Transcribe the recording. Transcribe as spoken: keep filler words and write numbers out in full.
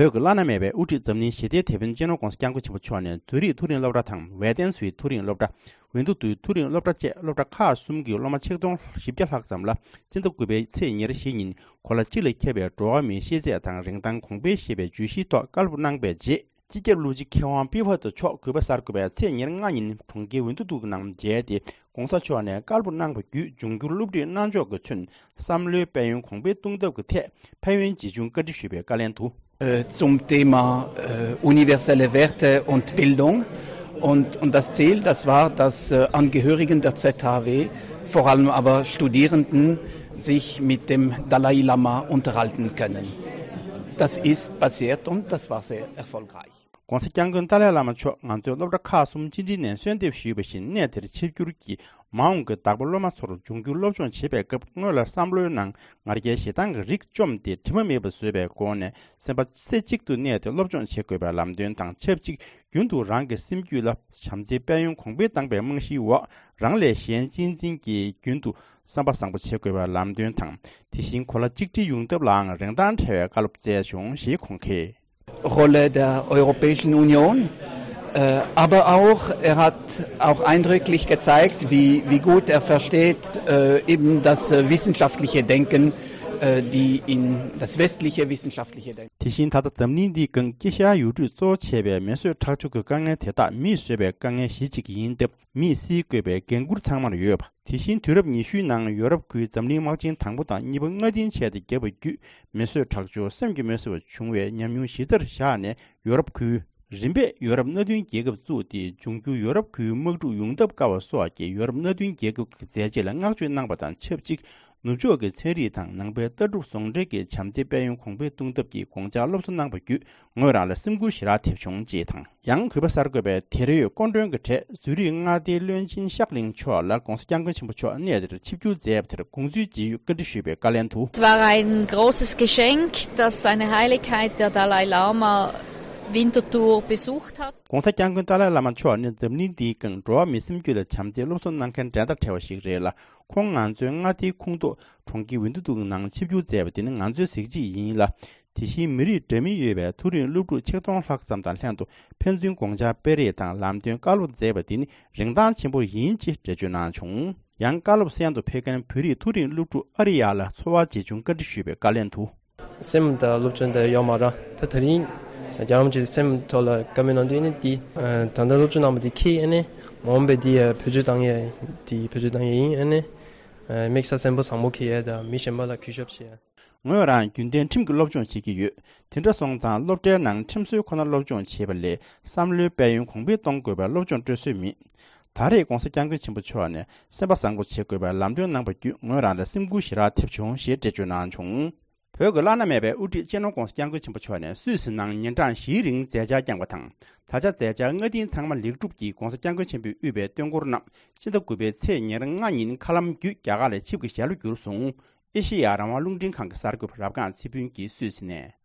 བོད་ཀྱི་བླ་ན་མེད་པའི་དབུ་ཁྲིད་འཛམ་གླིང་ཞི་བདེའི་དེད་དཔོན་སྤྱི་ནོར་༧གོང་ས་༧སྐྱབས་མགོན་ཆེན་པོ་མཆོག་ནས་ཛུ་རིག་མཐོ་རིམ་སློབ་གྲྭ་དང་ཝེ་ཏན་སུའི་མཐོ་རིམ་སློབ་གྲྭ། ཝེན་དུ་ཏུའི་མཐོ་རིམ་སློབ་གྲྭ་བཅས་སློབ་གྲྭ་ཁག་གསུམ་གྱི་སློབ་མ་ཆིག་སྟོང་བཞི་བརྒྱ་ལྷག་ཙམ་ལ་སྤྱི་ཟླ་དགུ་པའི་ཚེས་ཉེར་བཞི་ཉིན་གོ་ལ་གཅིག་ལ་ཁྱབ་པའི་འགྲོ་བ་མིའི་ཤེས་ཚད་དང་རིན་ཐང་གོང་འཕེལ་ཞེས་པའི་བརྗོད་གཞིའི་ཐོག་བཀའ་སློབ་གནང་པའི་རྗེས། སྤྱི་ཁྱབ་བློན་ཆེན་མཁས་དབང་པི་ཧྥ་ཏོ་མཆོག་གུས་པ་གསར་འགོད་པས་ཚེས་ཉེར་ལྔ་ཉིན་གྲོང་ཁྱེར་ཝེན་དུ་ཏུ་ནང་མཇལ་ཏེ། ༸གོང་ས་མཆོག་ནས་བཀའ་སློབ་གནང་བ་བརྒྱུད་འབྱུང་འགྱུར་སློབ་ཁྲིད་གནང་ཕྱོགས་ཀྱིས་མཚོན་བསམ་བློའི་དཔལ་ཡོན་གོང་འཕེལ་གཏོང་ཐབས་ཀྱི་ཐད་ཕན་ཡོན་ཇི་བྱུང་བཀའ་འདྲི་ཞུས་པའི་བཀའ་ལན་དུ། Äh, zum Thema äh, universelle Werte und Bildung. Und, und das Ziel, das war, dass äh, Angehörigen der Z H W, vor allem aber Studierenden, sich mit dem Dalai Lama unterhalten können. Das ist passiert und das war sehr erfolgreich. ༸གོང་ས་༸སྐྱབས་མགོན་ཏཱ་ལའི་བླ་མ་མཆོག་ང་ཚོའི་སློབ་གྲྭ་ཁག་གསུམ་ཆིག་སྒྲིལ་ནས་གསོལ་འདེབས་ཞུས་པ་བཞིན་གནས་དེར་ཆིབས་བསྒྱུར་གྱིས་མ་འོངས་ཀྱི་བདག་པོ་སློབ་མ་ཚོར་འབྱུང་འགྱུར་སློབ་སྦྱོང་བྱེད་པའི་སྐབས་སྔོན་ལ་བསམ་བློའི་ནང་ང་རྒྱལ་ཞེ་སྡང་གི་རིགས་བཅོམ་སྟེ་དྲི་མ་མེད་པ་བཟོས་པའི་སྒོ་ནས་སེམས་པ་རྩེ་གཅིག་ཏུ་གནས་ཏེ་སློབ་སྦྱོང་བྱེད་དགོས་པའི་ལམ་སྟོན་དང་ཆབས་ཅིག་རྒྱུན་དུ་རང་གི་སེམས་རྒྱུད་ལ་བྱམས་བརྩེའི་དཔལ་ཡོན་གོང་འཕེལ་བཏང་པའི་རྨང་གཞིའི་འོག་རང་ལས་གཞན་གཅེས་འཛིན་གྱིས་རྒྱུན་དུ་བསམ་པ་བཟང་པོ་བྱེད་དགོས་པའི་ལམ་སྟོན་དང་དེ་བཞིན་གོ་ལ་གཅིག་སྒྲིལ་ཡོང་ཐབས་ལའང་རིན་ཐང་བྲལ་བའི་བཀའ་སློབ་སྩལ་བྱུང་ཞེས་ཁོང་གིས། Rolle der Europäischen Union, äh, aber auch, er hat auch eindrücklich gezeigt, wie, wie gut er versteht, äh, eben das äh, wissenschaftliche Denken, äh, die in das westliche wissenschaftliche Denken. དེ་བཞིན་ད་ལྟ་འཛམ་གླིང་འདིའི་སྒང་དཀྱིལ་ཤར་ཡུལ་གྲུས་གཙོ་བོ་བྱས་པའི་མེ་གསོད་ཁྲག་སྦྱོར་གྱི་དཀའ་ངལ་དེ་དག་མིས་བཟོས་པའི་དཀའ་ངལ་གཞི་གཅིག་ཡིན་སྟབས། མིས་སེལ་དགོས་པའི་འགན་འཁུར་ཚང་མར་ཡོད་པ། དེ་བཞིན་དུས་རབས་ཉི་ཤུའི་ནང་ཡོ་རོབ་ཁུལ་འཛམ་གླིང་དམག་ཆེན་དང་པོ་དང་གཉིས་པ་སྔ་རྟིང་བྱས་ཏེ་བརྒྱབ་པ་བརྒྱུད་མེ་གསོད་ཁྲག་སྦྱོར་སེམས་ཀྱིས་མི་བཟོད་པ་བྱུང་བའི་ཉམས་མྱོང་གཞི་རྩར་བཞག་ནས་ཡོ་རོབ་ཁུལ། རིམ་པས་ཡོ་རོབ་མནའ་མཐུན་རྒྱལ་ཁབ་བཙུགས་ཏེ་འབྱུང་འགྱུར་ཡོ་རོབ་ཁུལ་དམག་འཁྲུག་ཡོང་ཐབས་དཀའ་བ་སོགས་ཀྱི་ཡོ་རོབ་མནའ་མཐུན་རྒྱལ་ཁབ་ཀྱི་མཛད་རྗེས་ལ་བསྔགས་བརྗོད་གནང་པ་དང་ཆབས་ཅིག་ནུབ་ཕྱོགས་ཀྱི་ཚན་རིག་དང་ནང་པའི་ལྟ་གྲུབ་ཟུང་འབྲེལ་གྱི་བྱམས་བརྩེའི་དཔལ་ཡོན་གོང་འཕེལ་གཏོང་ཐབས་ཀྱི་དགོངས་འཆར་སློབ་གསོ་གནང་པ་བརྒྱུད་ངོས་རང་ལ་སེམས་འགུལ་ཞེ་དྲག་ཐེབས་བྱུང་ཅེས་དང་། ཡང་གུས་པ་གསར་འགོད་པས་དེར་ཡོད་སྐུ་མགྲོན་གྱི་གྲས་ཛུ་རིག་མངའ་སྡེའི་བློན་ཆེན་ཤག་ལིང་མཆོག་ལ་༸གོང་ས་༸སྐྱབས་མགོན་ཆེན་པོ་མཆོག་གནས་དེར་ཆིབས་བསྒྱུར་མཛད་པ་དེར་དགོངས་ཚུལ་ཇི་ཡོད་བཀའ་འདྲི་ཞུས་པའི་བཀའ་ལན་དུ། Es war ein großes Geschenk, dass Seine Heiligkeit der Dalai Lama Winterthur besucht hat. ༸གོང་ས་༸སྐྱབས་མགོན་ཏཱ་ལའི་བླ་མ་མཆོག་ནི་འཛམ་གླིང་འདིའི་སྒང་འགྲོ་བ་མིའི་སེམས་རྒྱུད་ལ་བྱམས་བརྩེའི་སློབ་གསོ་གནང་མཁན་འགྲན་ཟླ་བྲལ་བ་ཞིག་རེད་ལ། ཁོང་ང་ཚོའི་མངའ་སྡེའི་ཁོངས་གཏོགས་གྲོང་ཁྱེར་ཝིན་ཏུ་ཏུག་ནང་ཆིབས་བསྒྱུར་མཛད་པ་དེ་ནི་ང་ཚོའི་གཟི་བརྗིད་ཡིན་ལ། དེ་བཞིན་མི་རིགས་འདྲ་མིན་ཡོད་པའི་མཐོ་རིམ་སློབ་ཕྲུག་ཆིག་སྟོང་ལྷག་ཙམ་དང་ལྷན་དུ་ཕན་ཚུན་དགོངས་འཆར་སྤེལ་རེས་དང་ལམ་སྟོན་བཀའ་སློབ་མཛད་པ་དེ་ནི་རིན་ཐང་ཆེན་པོ་ཡིན་ཅེས་འགྲེལ་བརྗོད་གནང་བྱུང་། ཡང་བཀའ་སློབ་གསན་དུ་ཕེབས་མཁན་བོད་རིགས་མཐོ་རིམ་སློབ་ཕྲུག་ཨ་རི་ཡ་ལ་ཚོར་བ་ཇི་བྱུང་བཀའ་འདྲི་ཞུས་པའི་བཀའ་ལན་དུ། སེམས་དང་སློབ་སྦྱོང་དང་ཡོག་མ་ར་ད་ད་རིང་རྒྱལ་བ་རིན་པོ་ཆེ་སེམས་ཐོག་ལ་བཀའ་མོལ་གནང་དུས་ནི་འདི་ད་ལྟ་སློབ་སྦྱོང་གནང་བ་འདི་ཁྱེད་ཨ་ནི་མ་འོངས་པའི་འདི་བེད་སྤྱོད་བཏང་ཡས་འདི་བེད་སྤྱོད་བཏང་ཡས་ཡིན། ཨ་ནི་དམིགས་བསལ་སེམས་པ་བཟང་པོ་འཁྱེར་ཡས་དང་མི་གཞན་པ་ལ་གུས་ཞབས་བྱེད་ཡས། ངོས་རང་རྒྱུན་ལྡན་ཁྲིམས་ཀྱི་སློབ་སྦྱོང་བྱེད་ཀྱི་ཡོད། དེ་འདྲ་སོང་ཙང་སློབ་གྲྭའི་ནང་ཁྲིམས་སྲོལ་ཁོ་ན་སློབ་སྦྱོང་བྱེད་པ་ལས་བསམ་བློའི་དཔལ་ཡོན་གོང་འཕེལ་གཏོང་དགོས་པའི་སློབ་སྦྱོང་སྤྲོད་སྲོལ་མེད། ད་རེས་༸གོང་ས་༸སྐྱབས་མགོན་ཆེན་པོ་མཆོག་ནས་སེམས་པ་བཟང་པོ་བྱེད་དགོས་པའི་ལམ་སྟོན་གནང་པ་བརྒྱུད་ངོས་རང་ལ་སེམས་འགུལ་ཞེ་དྲག་ཐེབས་བྱུང་ཞེས་འགྲེལ་བརྗོད་གནང་བྱུང་། བོད་ཀྱི་བླ་ན་མེད་པའི་དབུ་ཁྲིད་སྤྱི་ནོར་༸གོང་ས་༸སྐྱབས་མགོན་ཆེན་པོ་མཆོག་ནས་སུད་སི་ནང་ཉིན་གྲངས་བཞིའི་རིང་མཛད་འཆར་བསྐྱངས་པ་དང་། ད་ཆ་མཛད་འཆར་སྔ་རྟིང་ཚང་མ་ལེགས་གྲུབ་ཀྱིས་༸གོང་ས་༸སྐྱབས་མགོན་ཆེན་པོས་དབུས་པའི་སྟོན་འཁོར་རྣམས་སྤྱི་ཟླ་དགུ་པའི་ཚེས་ཉེར་ལྔ་ཉིན་མཁའ་ལམ་བརྒྱུད་རྒྱ་གར་ལ་ཆིབས་ཀྱི་ཞལ་ལོ་བསྒྱུར་སོང་། ཨེ་ཤེ་ཡ་རང་དབང་རླུང་འཕྲིན་ཁང་གི་གསར་འགོད་པ་རབ་སྒང་ཚེ་ཕུན་གྱིས་སུད་སི་ནས།